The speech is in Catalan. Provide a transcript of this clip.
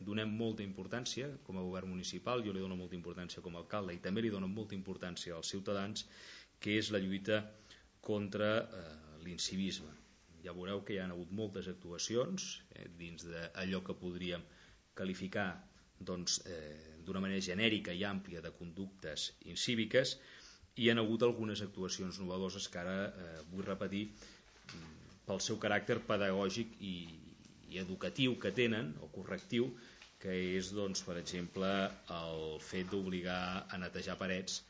donem molta importància com a govern municipal, jo li dono molta importància com a alcalde i també li dono molta importància als ciutadans, que és la lluita contra l'incivisme. Ja veureu que hi ha hagut moltes actuacions dins d'allò que podríem qualificar d'una manera genèrica i àmplia de conductes incíviques, i hi ha hagut algunes actuacions innovadores que ara vull repetir pel seu caràcter pedagògic i educatiu que tenen, o correctiu, que és, per exemple, el fet d'obligar a netejar parets